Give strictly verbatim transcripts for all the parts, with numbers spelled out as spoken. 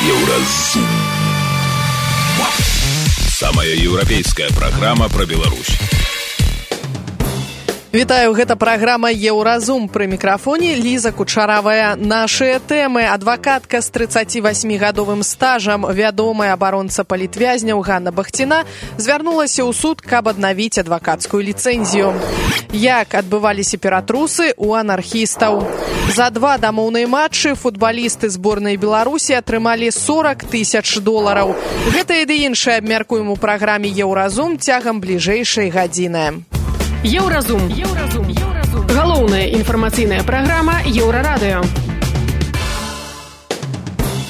Еўразум. Самая еўрапейская праграма пра Беларусь. Вітаю, гэта праграма «Еўразум». Пры мікрафоне Ліза Кучаравая. Нашыя тэмы. Адвакатка з трыццацівасьмігадовым стажам, вядомая абаронца палітвязняў Ганна Бахціна, звярнулася ў суд, каб аднавіць адвакацкую ліцэнзію. Як адбываліся ператрусы у анархістаў. За два дамоўныя матчы футбалісты зборнай Беларусі атрымалі сорок тысяч долараў. Гэта і ды іншае абмяркуем у праграме «Еўразум» цягам бліжэйшай гадзіны. Еўразум. Еўразум. Еўразум. Галоўная інфармацыйная праграма Еўрарадыё.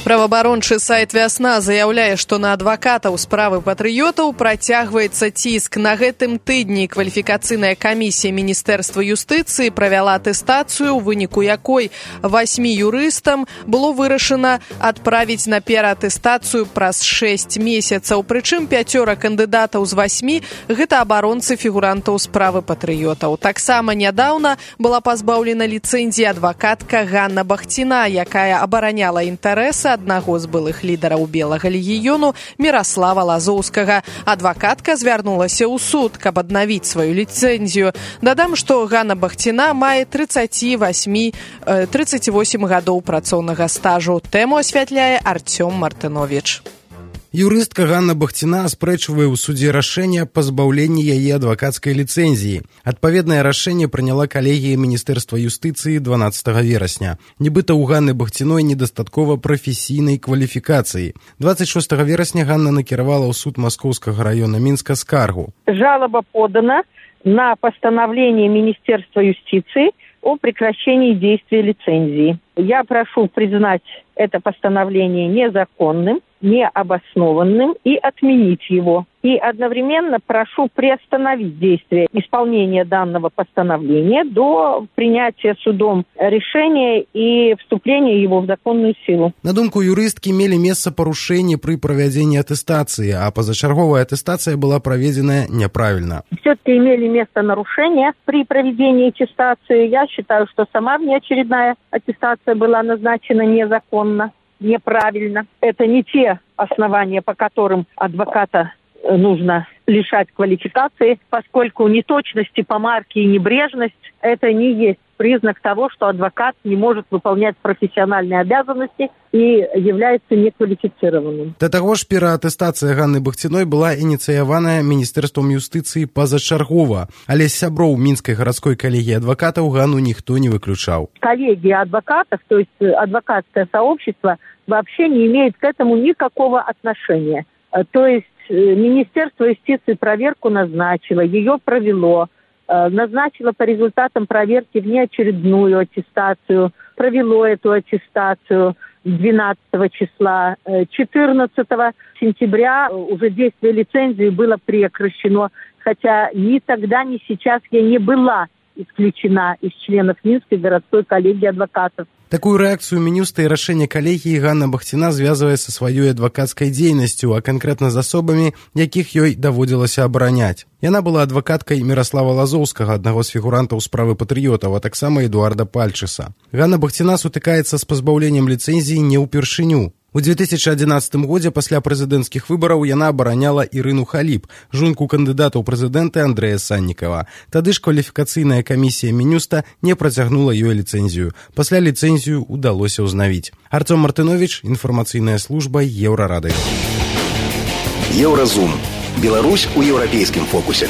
Праваабарончы сайт «Вясна» заяўляе, што на адвакатаў справы патрыётаў працягваецца ціск. На гэтым тыдні кваліфікацыйная камісія Міністэрства юстыцыі правяла атэстацыю, у выніку якой васьмі юрыстам было вырашана адправіць на пераатэстацыю праз шэсць месяцаў. Прычым пяцёра кандыдатаў з васьмі – гэта абаронцы фігурантаў справы патрыётаў. Таксама нядаўна была пазбаўлена ліцэнзіі адвакатка Ганна Бахціна, якая абараняла інтарэсы аднаго з былых лідараў Белага легіёну Міраслава Лазоўскага. Адвакатка звярнулася ў суд, каб аднавіць сваю ліцэнзію. Дадам, што Ганна Бахціна мае трыццаць восем гадоў працоўнага стажу. Тэму асвятляе Арцём Мартыновіч. Юрыстка Ганна Бахціна аспрэчвае ў судзе рашэнне аб пазбаўленні яе адвакацкай ліцэнзіі. Адпаведнае рашэнне прыняла калегія Міністэрства юстыцыі дванаццатага верасня. Нібыта ў Ганны Бахціной недастаткова прафесійнай кваліфікацыі. двадцать шостага верасня Ганна накіравала ў суд Маскоўскага раёна Мінска скаргу. Жалоба подана на постановление Министерства юстиции о прекращении действия лицензии. Я прошу признать это постановление незаконным, необоснованным и отменить его. И одновременно прошу приостановить действие исполнения данного постановления до принятия судом решения и вступления его в законную силу. На думку юрысткі, мелі месца парушэнні пры правядзенні атэстацыі, а пазачарговая атэстацыя была проведена неправильно. Все-таки имели место нарушения при проведении аттестации. Я считаю, что сама внеочередная аттестация была назначена незаконно, неправильно. Это не те основания, по которым адвоката нужно лишать квалификации, поскольку неточности помарки и небрежность – это не есть признак того, что адвокат не может выполнять профессиональные обязанности и является неквалифицированным. Да таго ж пераатэстацыя Ганны Бахціной была ініцыяваная Міністэрствам юстыцыі пазачаргова, але з сяброў Мінскай гарадской калегіі адвакатаў Ганну ніхто не выключаў. Коллегия адвокатов, то есть адвокатское сообщество, вообще не имеет к этому никакого отношения. То есть Министерство юстиции проверку назначило, ее провело, назначило по результатам проверки внеочередную аттестацию, провело эту аттестацию двенадцатого числа. четырнадцатого сентября уже действие лицензии было прекращено, хотя ни тогда, ни сейчас я не была исключена из членов Минской городской коллегии адвокатов. Такую рэакцыю мінюста і рашэнне калегіі Ганна Бахціна звязвае са сваёй адвакацкай дзейнасцю, а канкрэтна з асобамі, якіх ёй даводзілася абараняць. Яна была адвакаткай Міраслава Лазоўскага, аднаго з фігурантаў справы патрыётаў, а таксама Эдуарда Пальчыса. Ганна Бахціна сутыкаецца з пазбаўленнем ліцэнзіі не ўпершыню. У две тысячи одиннадцатым годзе пасля прэзідэнцкіх выбараў яна абараняла Ірыну Халіп, жонку кандыдата ў прэзідэнты Андрэя Саннікава. Тады ж кваліфікацыйная камісія Мінюста не працягнула ёй ліцэнзію. Пасля ліцэнзію удалося ўзнавіць. Арцём Мартыновіч, інфармацыйная служба Еўрарадыё. Еўразум. Беларусь у еўрапейскім фокусе.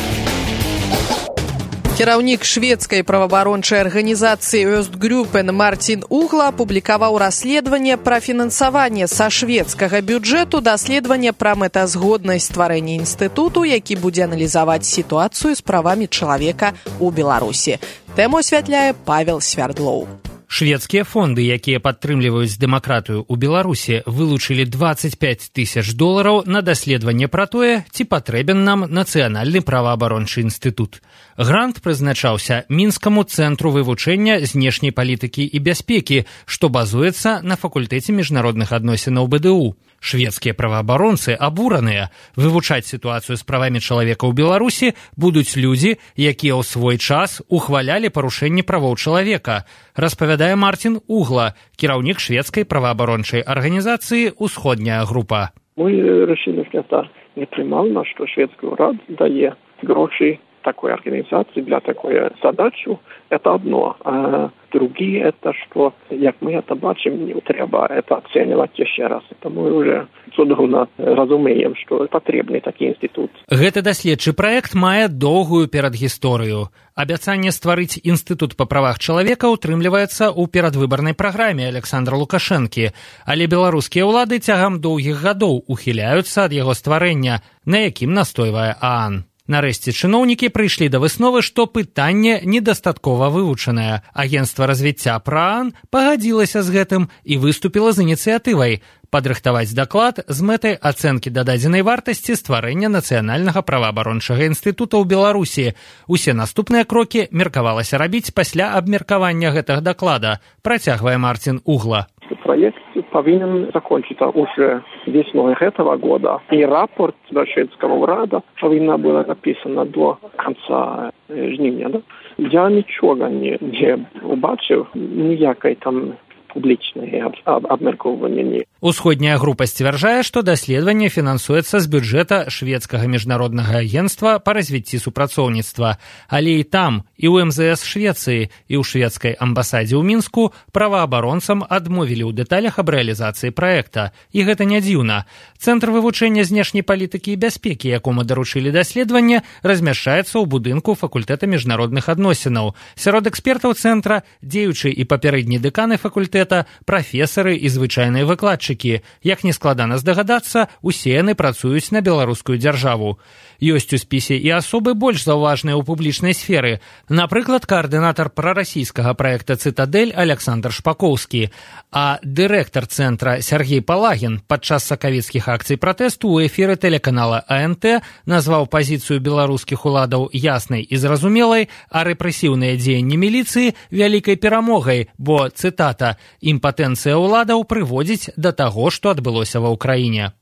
Кіраўнік шведскай праваабарончай арганізацыі Östgruppen Мартин Угла апублікаваў расследаванне пра фінансаванне са шведскага бюджэту даследавання пра мэтазгоднасць стварэння інстытуту, які будзе аналізаваць сітуацыю з правамі чалавека ў Беларусі. Тэму асвятляе Павел Свярдлоў. Шведскія фонды, якія падтрымліваюць дэмакратыю ў Беларусі, вылучылі двадцать пять тысяч долараў на даследаванне пра тое, ці патрэбен нам нацыянальны праваабарончы інстытут. Грант прызначаўся Мінскаму цэнтру вывучэння знешняй палітыкі і бяспекі, што базуецца на факультэце міжнародных адносінаў бэ дэ у. Шведскія праваабаронцы абураныя. Вывучаць сітуацыю з правамі чалавека ў Беларусі будуць людзі, якія ў свой час ухвалялі парушэнні правоў чалавека. распавядае Мартин Угла, кіраўнік шведскай праваабарончай арганізацыі «Усходняя група». Мы решили, что это непримально, что шведский уряд дает гроши такой организации для такой задачи. Это одно. А другие, это что, как мы это бачим, не треба это оценивать еще раз. Это мы уже цудоўна разумеем, что потребны такі інстытут. Гэты даследчы праект мае доўгую перадгісторыю. Абяцанне стварыць інстытут па правах чалавека ўтрымліваецца ў перадвыбарнай праграме Александра Лукашэнкі, але беларускія ўлады цягам доўгіх гадоў ухіляюцца ад яго стварэння, на якім настойвае ААН. Нарэшце чыноўнікі прыйшлі да высновы, што пытанне недастаткова вывучанае. Агенцтва развіцця ПРААН пагадзілася з гэтым і выступіла з ініцыятывай падрыхтаваць даклад з мэтай ацэнкі дададзенай вартасці стварэння нацыянальнага праваабарончага інстытута ў Беларусі. Усе наступныя крокі меркавалася рабіць пасля абмеркавання гэтага даклада, працягвае Мартин Угла. Проект повинен закончиться уже весной этого года. И рапорт до шведского уряда повинна была написана до конца жнивня. Да? Я ничего не, не убачив, ніякой там публічнай абмеркоўвання. Усходняя група сцвярджае, што даследаванне фінансуецца з бюджэта шведскага міжнароднага агенцтва па развіцці супрацоўніцтва. Але і там, і ў эм зэ эс Швецыі, і ў шведскай амбасадзе ў Мінску праваабаронцам адмовілі ў дэталях аб рэалізацыі праекта. І гэта не дзіўна. Цэнтр вывучэння знешняй палітыкі і бяспекі, якому даручылі даследаванне, размяшчаецца ў будынку факультэта міжнародных адносінаў. Сярод экспертаў цэнтра дзеючы і папярэдні дэканы факультэта, прафесары і звычайныя выкладчыкі. Як не складана здагадацца, усе яны працуюць на беларускую дзяржаву. Ёсць у спісе і асобы больш заўважныя ў публічнай сферы. Напрыклад, каардынатар прарасійскага праекта «Цытадэль» Александр Шпакоўскі, а дырэктар цэнтра Сергей Палагін падчас сакавіцкіх акцый пратэсту ў эфіры тэлеканала А Н Т назваў пазіцыю беларускіх уладаў яснай і зразумелай, а рэпрэсіўныя дзеянні міліцыі вялікай перамогай, бо, цытата, «імпатэнцыя ўладаў прыводзіць да таго, што адбылося ва ўкраіне».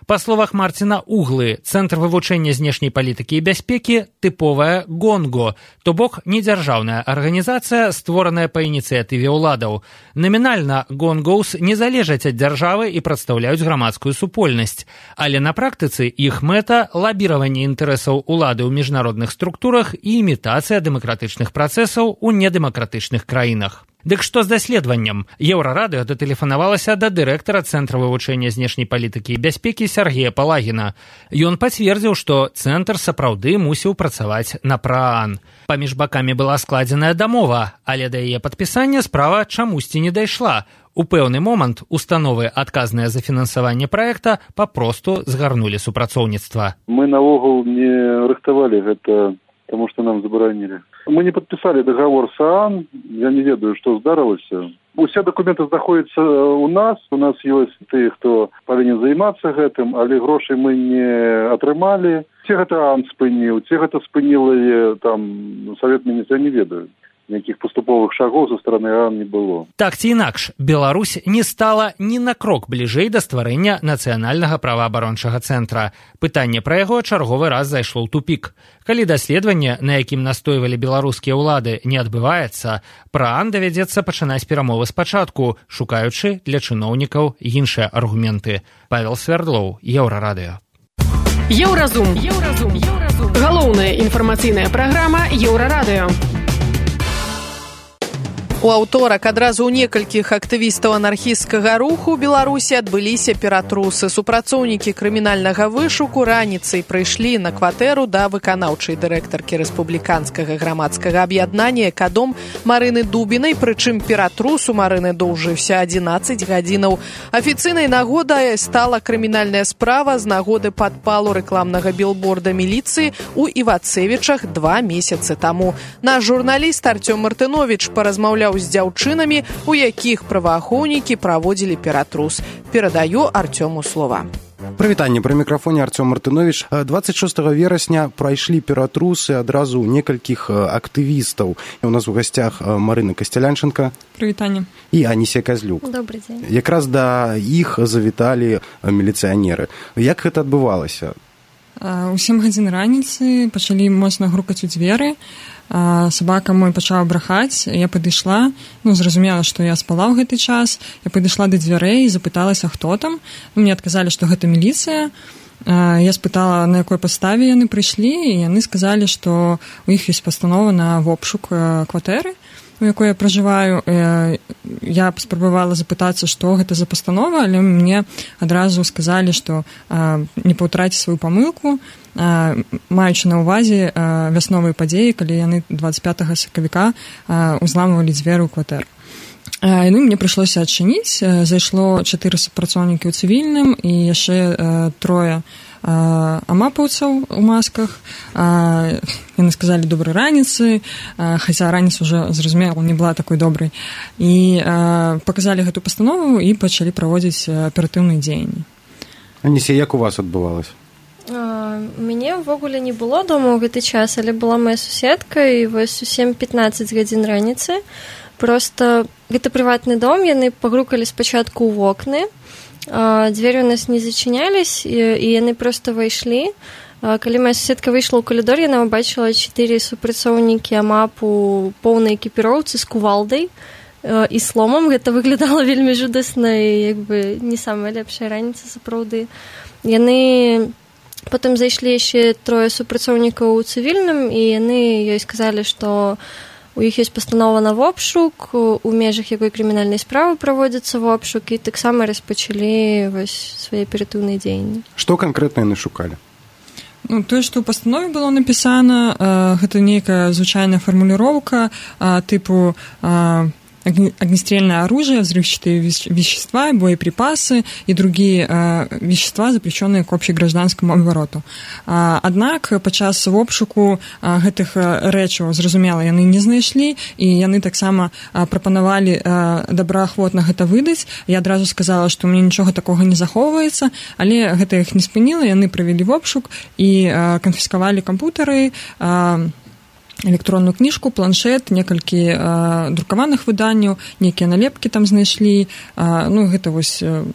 Па словах Мартина Углы, Цэнтр вывучэння знешняй палітыкі і бяспекі тыповая ГОНГО, то бок недзяржаўная арганізацыя, створаная па ініцыятыве ўладаў. Намінальна ГОНГОўс не залежаць ад дзяржавы і прадстаўляюць грамадскую супольнасць, але на практыцы іх мэта лабіраванне інтарэсаў улады ў міжнародных структурах і імітацыя дэмакратычных працэсаў у недэмакратычных краінах. Дык што з даследаваннем? Еўрарадыё датэлефанавалася да дырэктара Цэнтра вывучэння знешняй палітыкі і бяспекі Сергея Палагіна. Ён пацвердзіў, што цэнтр сапраўды мусіў працаваць на ПРААН. Паміж бакамі была складзеная дамова, але да яе падпісання справа чамусьці не дайшла. У пэўны момант установы, адказныя за фінансаванне праекта, папросту згарнулі супрацоўніцтва. Мы наогул не рыхтавалі гэта, таму што нам забаранілі. Мы не подписали договор с ААН, я не ведаю, что здарылася. Усе документы знаходзяцца у нас, у нас ёсць тыя, хто павінен займацца гэтым, але грошай мы не атрымалі. Ці гэта ААН спыніў, ці гэта спыніла там Савет Міністраў, я не ведаю. Ніякіх паступовых шагоў са стороны ААН не было. Так ці інакш, Беларусь не стала ні на крок бліжэй да стварэння нацыянальнага праваабарончага цэнтра. Пытанне пра яго чарговы раз зайшло ў тупік. Калі даследаванне, на якім настойвалі беларускія ўлады, не адбываецца, ПРААН давядзецца пачынаць перамовы спачатку, шукаючы для чыноўнікаў іншыя аргументы. Павел Свердлоў, Еўрарадыё. Еўразум. Еўразум. Еўразум. Галоўная інфармацыйная праграма Еўрарадыё. У аўторак адразу ў некалькіх актывістаў анархісцкага руху ў Беларусі адбыліся ператрусы. Супрацоўнікі крымінальнага вышуку раніцай прыйшлі на кватэру да выканаўчай дырэктаркі рэспубліканскага грамадскага аб'яднання «Экадом» Марыны Дубінай, прычым ператрус у Марыны доўжыўся адзінаццаць гадзінаў. Афіцыйнай нагодай стала крымінальная справа з нагоды падпалу рэкламнага білборда міліцыі ў Івацевічах два месяцы таму. Наш журналіст Артём Мартыновіч паразмаўляў з дзяўчынамі, у якіх праваахоўнікі праводзілі ператрус. Перадаю Артёму слова. Прывітанне, пры мікрафоне Артём Мартыновіч. дваццаць шостага верасня прайшлі ператрусы адразу ў некалькіх актывістаў. У нас у гасцях Марына Касцялянченка. Прывітанне. І Анісія Казлюк. Добрый дзень. Якраз да іх завіталі міліцыянеры. Як гэта адбывалася? У сем гадзін раніцы пачалі моцна грукаць у дзверы. Сабака мой пачала брахаць. Я падышла, ну, зразумела, што я спала ў гэты час. Я падышла да дзвярэй і запыталася, хто там. Мне адказалі, што гэта міліцыя. Я спытала, на якой падставе яны прыйшлі, і яны сказалі, што у іх ёсць пастанова на вобшук кватэры, у якой я пражываю. Я паспрабавала запытацца, што гэта за пастанова, але мне адразу сказалі, што не паўтараце сваю памылку, маючы на ўвазе вясновыя падзеі, калі яны дваццаць пятага сакавіка узламвалі дзверы ў кватэру. Ну, мне прыйшлося адчыніць. Зайшло чатыры супрацоўнікі ў цывільным і яшчэ э, трое э, амапаўцаў у масках. Э, яны сказалі добрай раніцы, э, хаця раніца ўжо, зразумела, не была такой добрай. І э, паказалі гэту пастанову і пачалі праводзіць аператыўныя дзеянні. Аніся, як у вас адбывалася? Мяне ўвогуле не было дома ў гэты час, але была моя суседка, і вось у сем пятнаццаць гадзін раніцы просто гэта прыватны дом, яны пагрукалі спачатку ў вокны, дзверы у нас не зачынялись, і яны просто выйшлі. Калі моя суседка выйшла ў калідор, яна ўбачыла чатыры супрацоўнікі амапу поўнай экіпіроўцы з кувалдай і сломам. Гэта выглядала вельмі жудасна і як бы не самая лепшая раніца сапраўды. Яны потым зайшлі яшчэ трое супрацоўнікаў у цывільным, і яны ёй сказалі, што у іх ёсць пастанова на вобшук, у межах якой крымінальнай справы праводзіцца вобшук, і таксама распачалі вось свае аператыўныя дзеянні. Што канкрэтна яны шукалі? Ну, тое, што ў пастанове было напісана, э, гэта нейкая звычайная фармуліроўка э, тыпу э, огнестрельное оружие, взрывчатые вещества, боеприпасы и другие э, вещества, запрещенные к общегражданскому обороту. А, аднак падчас обшуку а, гэтых рэчаў, зразумела, яны не знайшлі, і яны таксама а, прапанавалі а, добраахвотна гэта выдаць. Я адразу сказала, што мне нічога такога не захоўваецца, але гэта іх не спыніла, яны правялі обшук і а, канфіскавалі кампутары, а, электронную кніжку, планшет, некалькі э, друкаваных выданняў, нейкія налепкі там знайшлі. Э, ну, гэта вось э,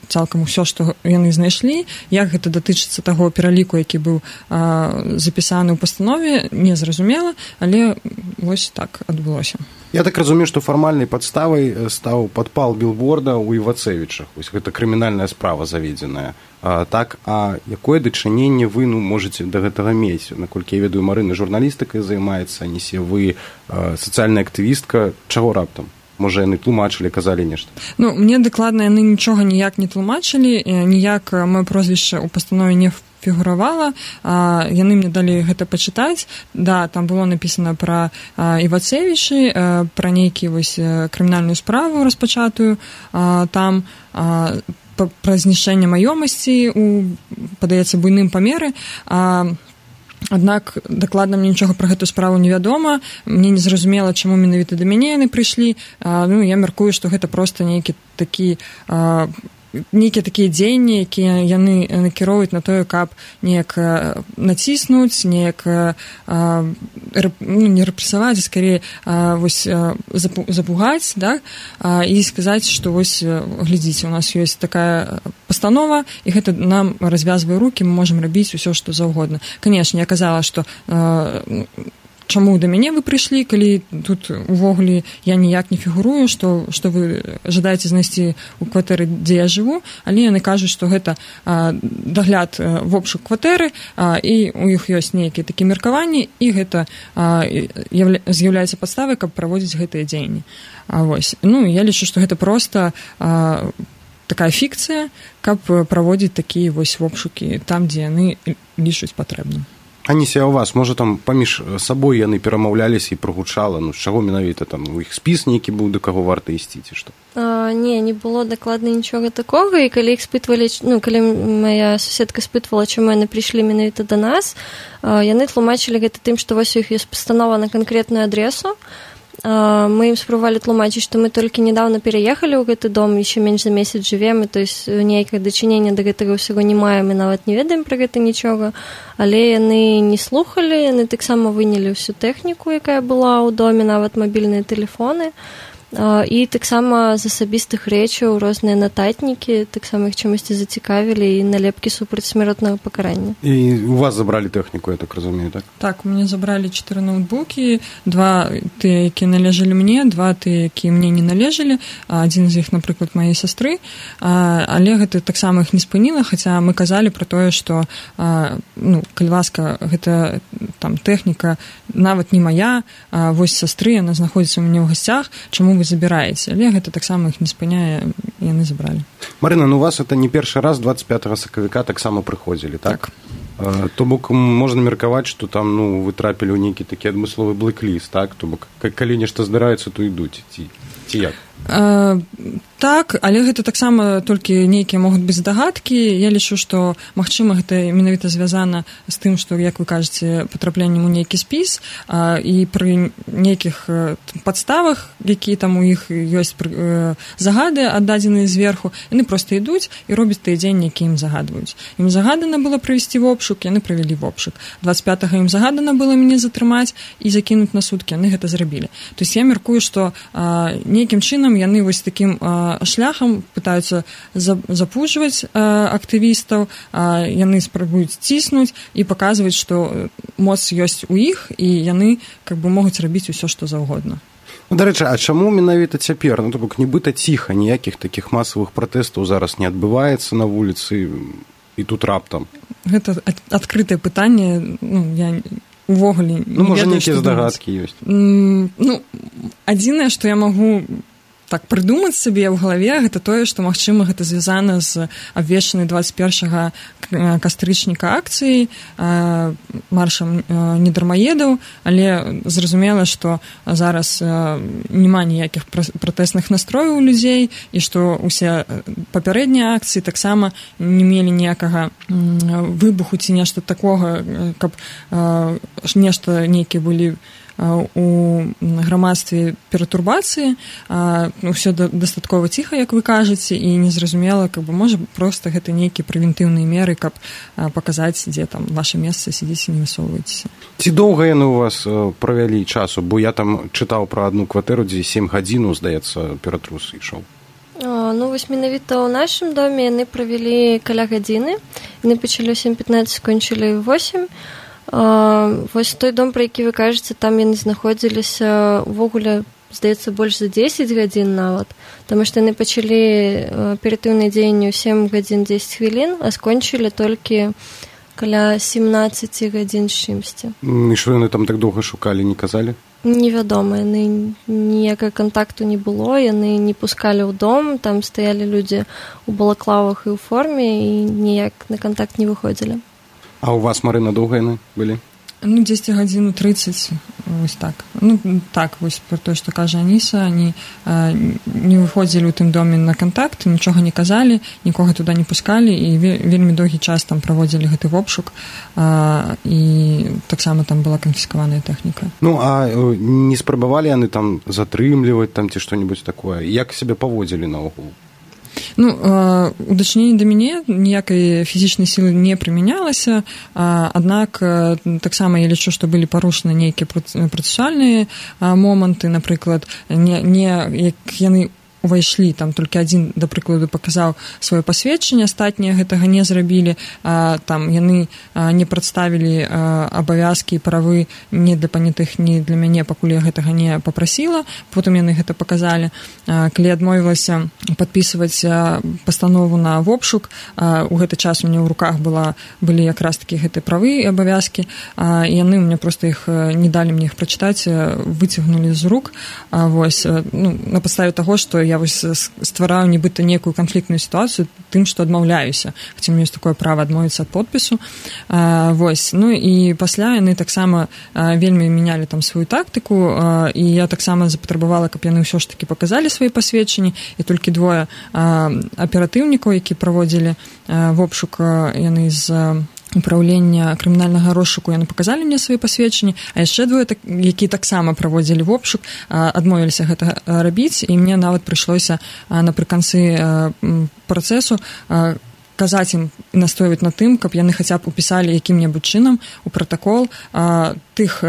цалкам усё, што яны знайшлі. Як гэта датычыцца таго пераліку, які быў э, запісаны ў пастанове, не зразумела, але вось так адбылося. Я так разумею, што фармальнай падставай стаў падпал білборда ў Івацевічах. Вось гэта крымінальная справа заведзеная. А, так, а якое дачыненне вы ну, можаце да гэтага мець? Наколькі я ведаю, Марына журналістыкай займаецца, Анісе, вы а, сацыяльная актывістка. Чаго раптам? Можа, яны тлумачылі, казалі нешта? Ну, мне дакладна яны нічога ніяк не тлумачылі, ніяк маё прозвішча ў пастанове не фігуравала. А, яны мне далі гэта пачытаць. Да, там было напісана пра а, Івацевічы, а, пра нейкі вось крымінальную справу распачатую. А, там а, пра знішчэнне маёмасці у, падаецца, буйным памеры. А, аднак дакладна мне нічога пра гэту справу невядома. Мне не зразумела, чаму менавіта да мяне яны прыйшлі. А, ну, я мяркую, што гэта проста нейкі такі а, нейкія такія дзеянні, якія яны накіроўваюць на тое, каб неяк націснуць, неяк ну, не рэпрэсаваць, а скорее вось запугаць, да, і сказаць, што вось глядзіце, у нас ёсць такая пастанова, і гэта нам развязвае рукі, мы можам рабіць усё, што заўгодна. Канешне, я казала, што чаму да мяне вы прыйшлі, калі тут увогуле я ніяк не фігурую, што, што вы жадаеце знайсці ў кватэры, дзе я жыву, але яны кажуць, што гэта а, дагляд а, в обшук кватэры, а, і у іх ёсць нейкія такія меркаванні, і гэта а, явля, з'яўляецца падставай, каб праводзіць гэтыя дзеянні. А, вось. Ну, я лічу, што гэта проста а, такая фікцыя, каб праводзіць такія вось обшукі там, дзе яны лічуць патрэбным. Аніся, у вас, можа, там паміж сабой яны перамаўляліся і прогучала, ну, з чаго менавіта там у іх спіс нейкі быў, да каго варта ісці, ці што? А, не, не было дакладна нічога такога, і калі іх спытвалі, ну, калі моя суседка спытвала, чаму яны прыйшлі менавіта да нас, а, яны тлумачылі гэта тым, што вось у іх ёсць пастанова на канкрэтную адресу. Мы ім спрабавалі тлумачыць, што мы толькі нядаўна пераехалі ў гэты дом, яшчэ менш за месяц жывем, і то есть нейкае дачынення да гэтага ўсяго не маем, і нават не ведаем пра гэта нічога, але яны не слухалі, яны таксама вынялі ўсю тэхніку, якая была ў доме, нават мабільныя тэлефоны, І таксама з асабістых рэчаў розныя нататнікі, таксама іх чамусьці зацікавілі, і налепкі супраць смяротнага пакарання. І у вас забралі тэхніку, я так разумею, так? Так, у мяне забралі чатыры ноутбукі, два тыя, якія належалі мне, два тыя, якія мне не належалі, адзін з іх, напрыклад, маёй сястры, але гэта таксама іх не спыніла, хаця мы казалі пра тое, што, ну, калі ласка, гэта там тэхніка нават не мая, а вось сястры, яна знаходзіцца у мяне ў гасцях, чаму вы забіраеце, але гэта таксама іх не спыняе, і яны забралі. Марына, ну у вас это не першы раз двадцать пятого сакавіка таксама прыходзілі, так? Так. То бок можна меркаваць, што там, ну, вы трапілі ў нейкі такі адмысловы блэк-ліст, так? То бок, калі нешта здараецца, то ідуць, ці, ці як? А, так, але гэта таксама толькі нейкія могуць быць здагадкі. Я лічу, што, магчыма, гэта менавіта звязана з тым, што, як вы кажаце, патрапленнем у нейкі спіс, а, і пры нейкіх падставах, якія там у іх ёсць э, загады аддадзеныя зверху, яны проста ідуць і робяць тыя дзеянні, які ім загадваюць. Ім загадана было правесці вобшук, яны правялі вобшук. двадцать пятого ім загадана было мяне затрымаць і закінуць на суткі, яны гэта зрабілі. То есть я мяркую, што а, нейкім чынам яны вось такім а, шляхам пытаюцца запужваць а, актывістаў, а, яны спрабуюць ціснуць і паказваць, што моц ёсць у іх, і яны как бы могуць рабіць усё, што заўгодна. Ну, дарэчы, а чаму менавіта цяпер? Ну, то бок, нібыта ціха, ніякіх такіх масавых пратэстаў зараз не адбываецца на вуліцы, і тут раптам? Гэта адкрытае пытанне, ну, я увогуле не ну, ведаю, што думаць. Ну, можа, нейкія здагадкі ёсць? Ну, адзінае, што я магу так прыдумаць сабе ў галаве, гэта тое, што, магчыма, гэта звязана з абвешчанай двадцать першага кастрычніка акцыі, маршам недармаедаў, але зразумела, што зараз няма ніякіх пратэсных настрояў у людзей, і што ўсе папярэднія акцыі таксама не мелі ніякага выбуху ці нешта такога, каб нешта нейкія былі у грамадстве пературбацыі, ўсё дастаткова ціха, як вы кажаце, і незразумела, каб бы, можа, проста гэта нейкія прэвентыўныя меры, каб паказаць, дзе там ваша месца, сидзіце, не высоўвайцеся. Ці доўга яны у вас правялі часу? Бо я там чытаў пра адну кватэру, дзе сем гадзінаў, здаецца, ператрус ішоў. Ну, вось менавіта ў нашым доме яны правялі каля гадзіны. Яны пачалі ў сем пятнаццаць, скончылі ў восемь. Uh, вось той дом, пра які вы кажаце, там яны знаходзіліся увогуле, здаецца, больш за дзесяць гадзін нават, таму што яны пачалі аператыўныя дзеянні ў сем гадзін дзесяць хвілін, а скончылі толькі каля семнаццаць гадзін з чымсьці. І што яны там так доўга шукалі, не казалі? Невядома, яны ніякага кантакту не было, яны не пускалі ў дом, там стаялі людзі ў балаклавах і ў форме, і ніяк на кантакт не выходзілі. А у вас, Марына, доўга яны былі? Ну, дзесяць гадзін трыццаць, вось так. Ну, так, вось пра тое, што кажа Аніса, они а, не выходзілі ў тым доме на кантакт, нічога не казалі, нікога туды не пускалі, і вельмі доўгі час там праводзілі гэты вобшук, а, і таксама там была канфіскаваная тэхніка. Ну, а не спрабавалі яны там затрымліваць там ці што-небудзь такое? Як сябе паводзілі наогул? Ну, у дачыненні да мяне ніякай фізічнай сілы не прымянялася, аднак таксама я лічу, што былі парушаны нейкія працэсуальныя моманты, напрыклад, не, не як яны увайшлі, там толькі адзін, да прыкладу, паказаў сваё пасведчанне, астатнія гэтага не зрабілі, а, там яны а, не прадставілі а, абавязкі і правы не для панятых, не для мяне, пакуль я гэтага не папрасіла, потым яны гэта паказалі. А, калі адмовілася падпісваць а, пастанову на вобшук, а, у гэты час у мяне ў руках была, былі якраз такі гэтыя правы і абавязкі, а, і яны мне проста іх не далі мне іх прачытаць, выцягнулі з рук, а, вось, ну, на падставе таго, што я вось ствараю нібыта некую канфліктную сітуацыю тым, што адмаўляюся, хаця мне ёсць такое права адмовіцца ад подпісу. А, вось. Ну і пасля яны таксама а, вельмі мянялі там сваю тактыку, а, і я таксама запатрабавала, каб яны ўсё ж такі паказалі свае пасведчанні, і толькі двое а, аператыўнікаў, які праводзілі а, вобшук, а, яны з управлення крымінальнага розшуку, яны паказалі мне свае пасведчанні, а яшчэ двое, так, які таксама праводзілі вобшук, адмовіліся гэта рабіць, і мне нават прыйшлося напрыканцы працэсу казаць ім і настойваць на тым, каб яны хаця б упісалі якім-небудзь чынам у пратакол тых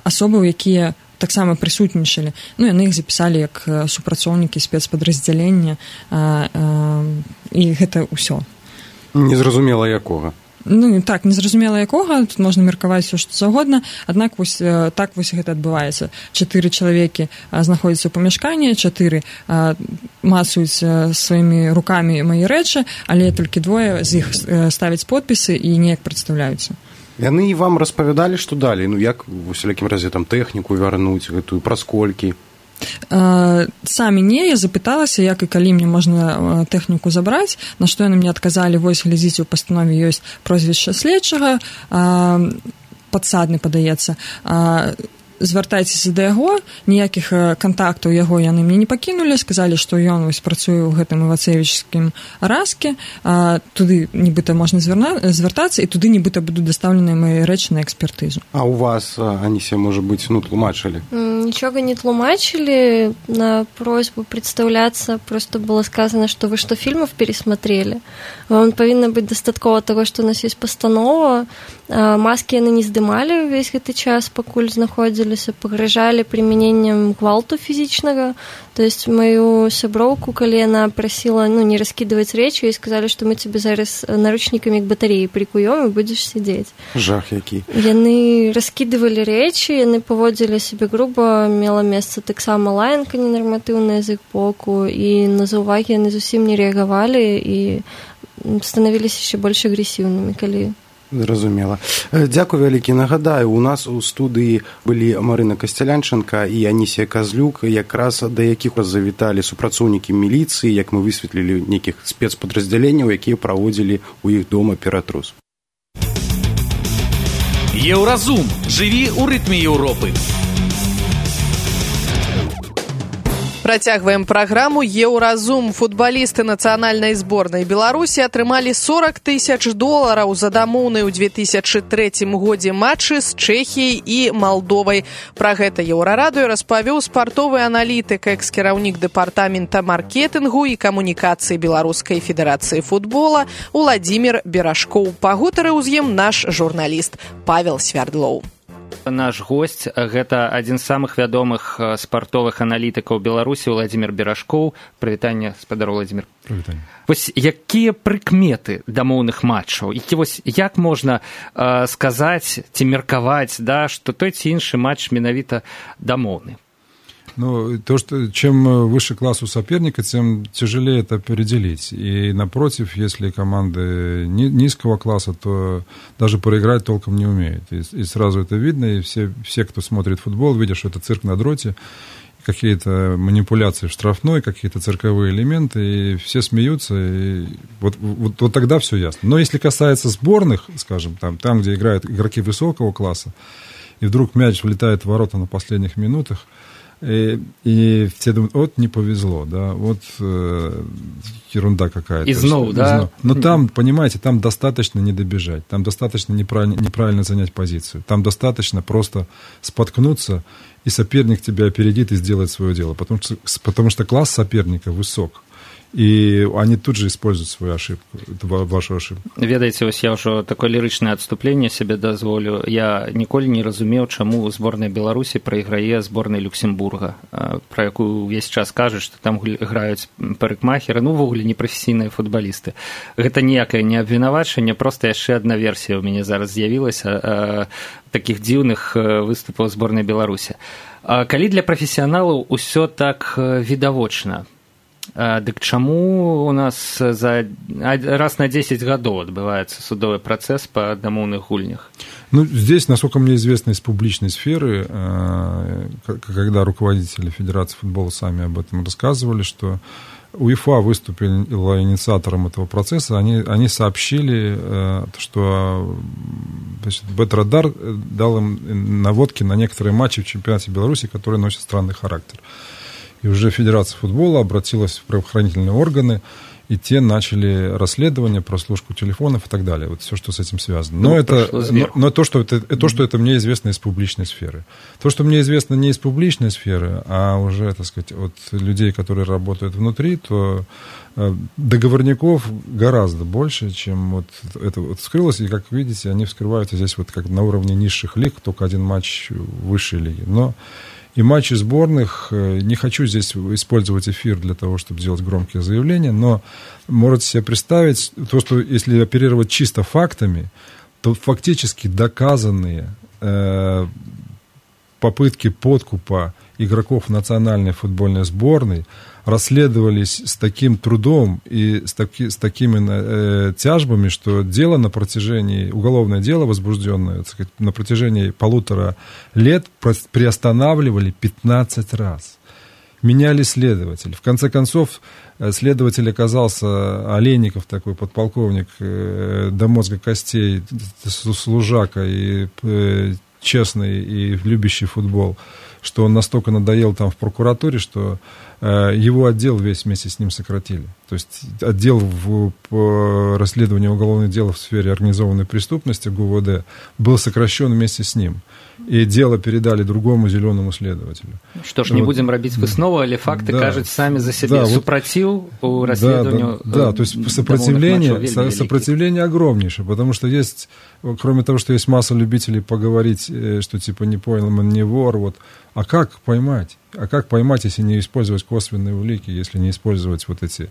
асобаў, якія таксама прысутнічалі. Ну, яны іх запісалі як супрацоўнікі спецпадраздзялення, і гэта ўсё. Незразумела якога. Ну, так, незразумела якога, тут можна меркаваць все, што заўгодна, аднак вось, так вось гэта адбываецца. Чатыры чалавекі знаходзяцца ў памяшканні, чатыры мацаюць сваімі рукамі мае рэчы, але толькі двое з іх ставяць подпісы і неяк прадстаўляюцца. Яны вам распавядалі, што далі? Ну, як, у всялякім разе, там, тэхніку вярнуць, гэтую, праз колькі? Самі не, я запыталася, як і калі мне можна тэхніку забраць, на што яны мне адказалі, вось, глядзіце, у пастанове ёсць прозвішча следчага, падсадны, падаецца, звяртайцеся да яго, ніякіх кантактаў яго яны мне не пакінулі, сказалі, што ён вось працуе ў гэтым івацевічскім раске, туды нібыта можна звяртацца, і туды нібыта будуць дастаўленыя мае рэчы на экспертызу. А у вас, Анісія, можа быць, ну, тлумачылі? Ничего не тлумачили, на просьбу представляться просто было сказано, что вы что, фильмов пересмотрели? Вам повинно быть достаткова того, что у нас есть постанова. Маски яны не здымалі весь гэты час, пакуль знаходзіліся, пагражалі прымяненнем гвалту фізічнага. То есть мою сяброўку, калі яна прасіла, ну, не раскидывать речи, и сказали, что мы тебе зараз наручниками к батареі прикуем и будешь сидеть. Жах які. Яны раскидывали речи, яны поводзілі себе грубо, мела месца таксама лаянка ненарматыўная з іх боку, і на заўвагі яны зусім не рэагавалі і становіліся яшчэ больш агрэсіўнымі, калі... Зразумела. Дзякую вялікі. Нагадаю, у нас у студыі былі Марына Касцялянчанка і Анісія Казлюк, якраз да якіх завіталі супрацоўнікі міліцыі, як мы высветлілі нейкіх спецпадраздзяленняў, якія праводзілі ў іх дома ператрус. Еўразум. Жыві ў рытме Еўропы. Працягваем праграму «Еўразум». Футбалісты нацыянальнай зборнай Беларусі атрымалі сорок тысяч долараў за дамоўны ў две тысячы трэцім годзе матчы з Чэхіяй і Малдовай. Пра гэта Еўрарадыё распавёў спартовы аналітык, экс-кіраўнік дэпартамента маркетынгу і камунікацыі Беларускай федэрацыі футбола Уладзімір Берашкоў. Пагутарыў з ім наш журналіст Павел Свярдлоў. Наш госць, гэта адзін з самых вядомых спартовых аналітыкаў Беларусі, Уладзімір Берашкоў. Прывітанне, спадар Уладзімір. Прывітанне. Вось якія прыкметы дамоўных матчаў? Які вось як можна э, сказаць ці меркаваць, да, што той ці іншы матч менавіта дамоўны? Ну, то, что чем выше класс у соперника, тем тяжелее это определить. И напротив, если команды низкого класса, то даже проиграть толком не умеют. И, и сразу это видно, и все, все, кто смотрит футбол, видят, что это цирк на дроте, какие-то манипуляции в штрафной, какие-то цирковые элементы, и все смеются, и вот, вот, вот тогда все ясно. Но если касается сборных, скажем, там, там, где играют игроки высокого класса, и вдруг мяч влетает в ворота на последних минутах, И, и все думают, вот не повезло, да, вот э, ерунда какая-то. И снова, да? Но там, понимаете, там достаточно не добежать, там достаточно неправильно, неправильно занять позицию, там достаточно просто споткнуться, и соперник тебя опередит и сделает свое дело, потому что, потому что класс соперника высок. І они тут же используют свою ошибку, вашу ошибку. Ведаеце, ось я ўжо такое лірычнае адступленне сябе дазволю. Я ніколі не разумеў, чаму зборная Беларусі прайграе зборнай Люксембурга, пра якую ўвесь час кажуць, што там граюць парыкмахеры, ну, увогуле непрафесійныя футбалісты. Гэта ніякае не абвінавачанне, проста яшчэ адна версія ў мяне зараз з'явілася такіх дзіўных выступаў зборнай Беларусі. Калі для прафесіяналаў усё так відавочна, дык чаму у нас за раз на десять годов отбывается судовый процесс по домовных гульнях? Ну, здесь, насколько мне известно из публичной сферы, когда руководители Федерации футбола сами об этом рассказывали, что УЕФА выступила инициатором этого процесса, они, они сообщили, что Бетрадар дал им наводки на некоторые матчи в чемпионате Беларуси, которые носят странный характер. И уже Федерация футбола обратилась в правоохранительные органы, и те начали расследование, прослушку телефонов и так далее. Вот все, что с этим связано. Но, ну, это, но, но то, что это, то, что это мне известно из публичной сферы. То, что мне известно не из публичной сферы, а уже, так сказать, от людей, которые работают внутри, то договорников гораздо больше, чем вот это вот вскрылось. И, как видите, они вскрываются здесь вот как на уровне низших лиг, только один матч высшей лиги. Но И матчи сборных, не хочу здесь использовать эфир для того, чтобы делать громкие заявления, но можете себе представить, то, что если оперировать чисто фактами, то фактически доказанные э, попытки подкупа игроков национальной футбольной сборной расследовались с таким трудом и с, таки, с такими э, тяжбами, что дело на протяжении, уголовное дело возбужденное, так сказать, на протяжении полутора лет приостанавливали пятнадцать раз. Меняли следователей. В конце концов, следователь оказался Олейников, такой подполковник, э, до мозга костей, служака и э, честный и любящий футбол, что он настолько надоел там в прокуратуре, что э, его отдел весь вместе с ним сократили. То есть отдел в, по расследованию уголовных дел в сфере организованной преступности ГУВД был сокращен вместе с ним. И дело передали другому зеленому следователю. Что ж, не вот. Будем робіць выснову, але факты да, кажуць самі за себе. Да, супраціў у расследованию. Да, да, да, то есть сопротивление, сопротивление огромнейшее, потому что есть, кроме того, что есть масса любителей поговорить, что типа не понял, он не вор, вот. А как поймать? А как поймать, если не использовать косвенные улики, если не использовать вот эти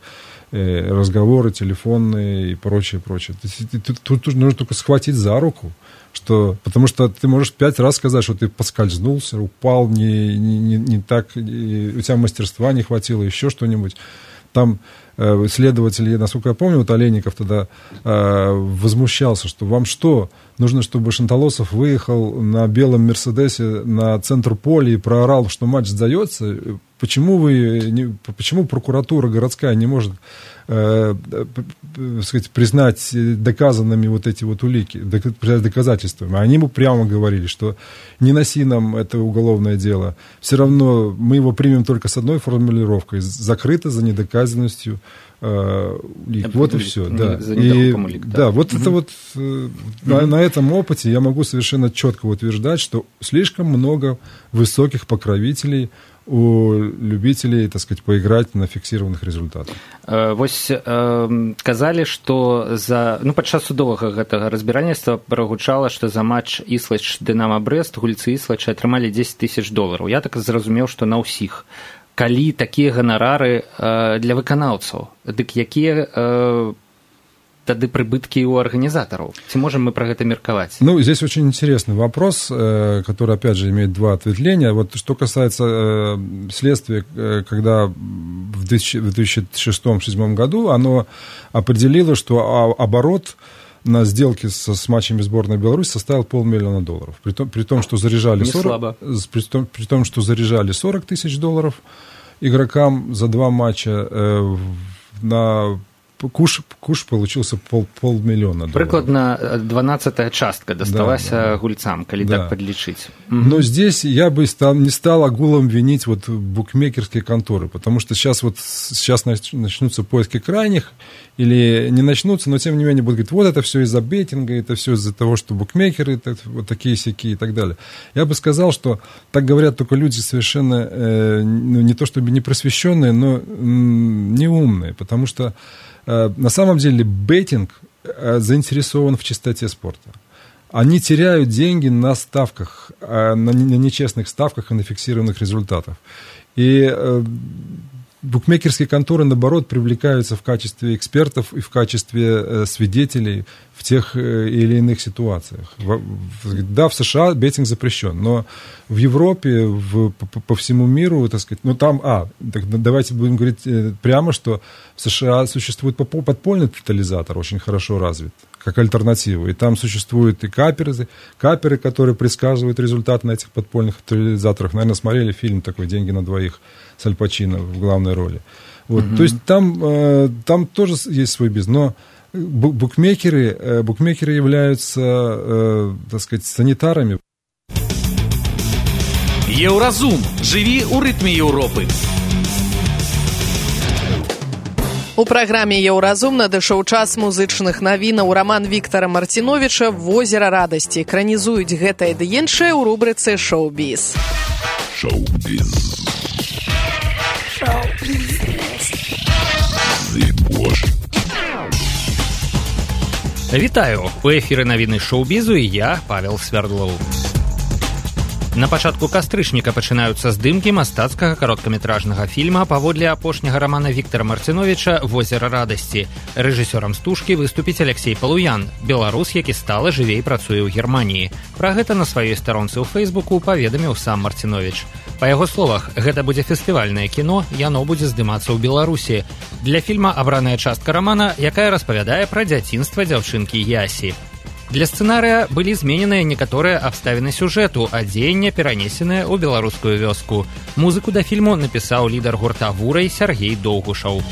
э, разговоры телефонные и прочее, прочее? Тут, тут, тут нужно только схватить за руку, что, потому что ты можешь пять раз сказать, что ты поскользнулся, упал, не, не, не, не так, не, у тебя мастерства не хватило, еще что-нибудь. Там э, следователь, насколько я помню, вот Олейников тогда э, возмущался, что вам что, нужно, чтобы Шанталосов выехал на белом Мерседесе на центр поля и проорал, что матч сдается? Почему, вы, не, почему прокуратура городская не может э, э, сказать, признать доказанными вот эти вот улики, признать доказательствами? Они ему прямо говорили, что не носи нам это уголовное дело, все равно мы его примем только с одной формулировкой, закрыто за недоказанностью э, улик. Вот и все. Да. И, улик, да. Да, вот угу. это вот э, на, на этом опыте я могу совершенно четко утверждать, что слишком много высоких покровителей у любителей, так сказать, поиграть на фіксіраваных результатах. Вось казалі, што за ну падчас судовага гэтага разбіральніцтва прагучала, што за матч Іслач Дынама Брэст гульцы Іслача атрымалі дзесяць тысяч долараў. Я так зразумеў, што на ўсіх. Калі такія ганарары для выканаўцаў, дык якія тады прибытки у организаторов? Ці можем мы про это мерковать? Ну, здесь очень интересный вопрос, который, опять же, имеет два ответвления. Вот что касается следствия, когда в две тысячи шестом — две тысячи седьмом году оно определило, что оборот на сделке со, с матчами сборной Беларуси составил полмиллиона долларов. При том, при том, что заряжали сорок, при том, при том, что заряжали сорок тысяч долларов игрокам за два матча э, на Куш, куш получился пол, полмиллиона долларов. Прыкладна дванадцатая частка досталась да, да, гульцам, коли да. так подлечить. Но здесь я бы стал, не стал огулом винить вот букмекерские конторы, потому что сейчас, вот, сейчас начнутся поиски крайних, или не начнутся, но тем не менее будут говорить, вот это все из-за беттинга, это все из-за того, что букмекеры так, вот такие-сяки и так далее. Я бы сказал, что так говорят только люди совершенно э, ну, не то чтобы не просвещенные, но м, неумные, потому что на самом деле беттинг заинтересован в чистоте спорта. Они теряют деньги на ставках, на нечестных ставках и на фиксированных результатах. И букмекерские конторы, наоборот, привлекаются в качестве экспертов и в качестве свидетелей в тех или иных ситуациях. Да, в США беттинг запрещен, но в Европе, в, по, по всему миру, так сказать, ну там, а, так, давайте будем говорить прямо, что в США существует подпольный тотализатор, очень хорошо развит, как альтернатива. И там существуют и каперы, каперы, которые предсказывают результат на этих подпольных тотализаторах. Наверное, смотрели фильм такой «Деньги на двоих» с Аль Пачино в главной роли. Вот. Mm-hmm. То есть там, э, там тоже есть свой бизнес, но букмекеры, э, букмекеры являются, э, так сказать, санитарами. Еўразум. Живи у ритме Европы. У праграме «Еўразум» надышоў час музычных навінаў. Раман Віктара Марціновіча «Возера радасці». Экранізуюць гэтае ды іншае ў рубрыцы «Шоу-біз». Шоу-біз. Шоу-біз. Вітаю! У эфіры навіны шоу-бізу і я, Павел Свярдлоў. На пачатку кастрычніка пачынаюцца здымкі мастацкага кароткаметражнага фільма паводле апошняга рамана Віктара Марціновіча «Возера радасці». Рэжысёрам стужкі выступіць Алексей Палуян, беларус, які стала жыве і працуе ў Германіі. Пра гэта на сваёй старонцы ў Фэйсбуку паведаміў сам Марціновіч. Па яго словах, гэта будзе фестывальнае кіно, яно будзе здымацца ў Беларусі. Для фільма абраная частка рамана, якая распавядае пра дзяцінства дзяўчынкі Ясі. Для сцэнарыя былі змененыя некаторыя абставіны сюжэту, а дзеянне перанесенае ў беларускую вёску. Музыку да фільму напісаў лідар гурта «Вурай» Сергей Доўгушаў.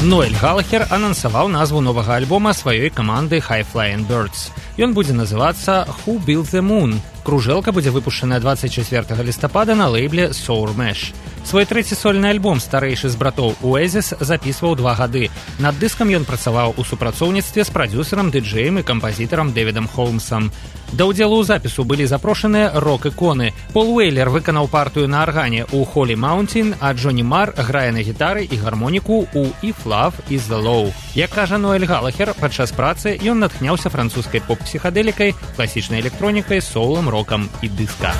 Ноэль Галахер анансаваў назву новага альбома сваёй каманды High Flying Birds. Ён будзе называцца «Who Built the Moon». Кружэлка будзе выпушчаная двадцать чацвёртага лістапада на лейбле Sour Mesh. Свой трэці сольны альбом старэйшы з братоў Oasis запісваў два гады. Над дыскам ён працаваў у супрацоўніцтве з прадзюсарам, дыджэем і кампазітарам Дэвідам Холмсам. Да ўдзелу ў запісу былі запрошаныя рок-іконы. Пол Уэйлер выканаў партыю на аргане ў Holy Mountain, а Джонні Мар грае на гітары і гармоніку ў If Love Is The Law. Як кажа Ноэль Галахер, падчас працы ён натхняўся французскай поп-псіхадэлікай, класічнай электронікай, соулам, рокам і дыска.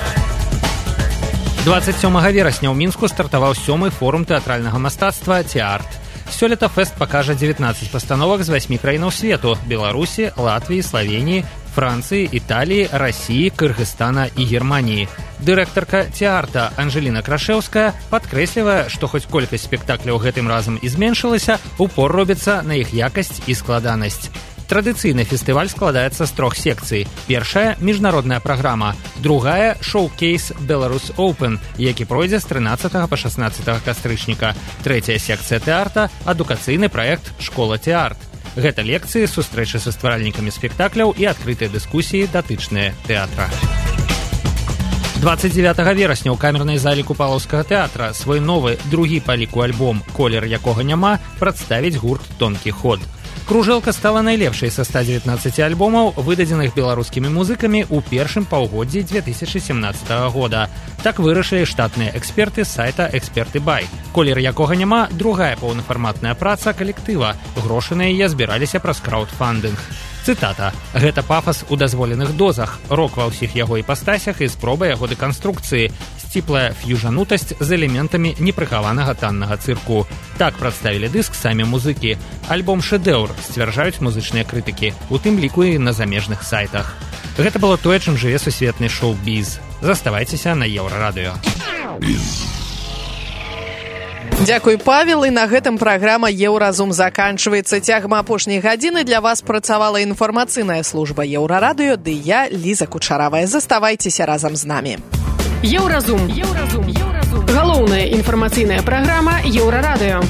двадцать сёмага верасня ў Мінску стартаваў сёмы форум тэатральнага мастацтва «Теарт». Сёлета фэст пакажа дзевятнаццаць пастановак з васьмі краінаў свету – Беларусі, Латвіі, Славеніі, Францыі, Італіі, Расіі, Кыргызстана і Германіі. Дырэктарка «Теарта» Анжеліна Крашэўская падкрэслівае, што хоць колькасць спектакляў гэтым разам і зменшылася, упор робіцца на іх якасць і складанасць. Традыцыйны фестываль складаецца з трох секцый. Першая – міжнародная праграма. Другая – шоу-кейс Belarus Open, які пройдзе з трынаццатага па шаснаццатага кастрычніка. Трэцяя секцыя тэарта – адукацыйны праект «Школа Теарт». Гэта лекцыі, сустрэчы са стваральнікамі спектакляў і адкрытыя дыскусіі, датычныя тэатра. двадцать дзевятага верасня ў камернай зале Купалаўскага тэатра свой новы, другі па ліку альбом «Колер якога няма» прадставіць гурт «Тонкі ход». Кружэлка стала найлепшай са ста дзевятнаццаці альбомаў, выдадзеных беларускімі музыкамі ў першым паўгоддзі дзве тысячы сямнаццатага года. Так вырашылі штатныя эксперты з сайта «Эксперты Бай». «Колер якога няма» – другая паўнафарматная праца калектыва. Грошы на яе збіраліся праз краўдфандынг. Цытата. «Гэта пафас у дазволеных дозах, рок ва ўсіх яго іпастасях і спроба яго дэканструкцыі, сціплая фьюжанутасць з элементамі непрыхаванага таннага цырку». Так прадставілі дыск самі музыкі. Альбом шэдэўр, сцвярджаюць музычныя крытыкі, у тым ліку і на замежных сайтах. Гэта было тое, чым жыве сусветны шоу-біз. Заставайцеся на Еўрарадыё. Дзякуй, Павел, і на гэтым праграма «Еўразум» заканчваецца. Цягам апошняй гадзіны для вас працавала інфармацыйная служба Еўрарадыё, ды я, Ліза Кучаравая. Заставайцеся разам з намі. Еўразум. Еўразум. Еўразум. Галоўная інфармацыйная праграма Еўрарадыё.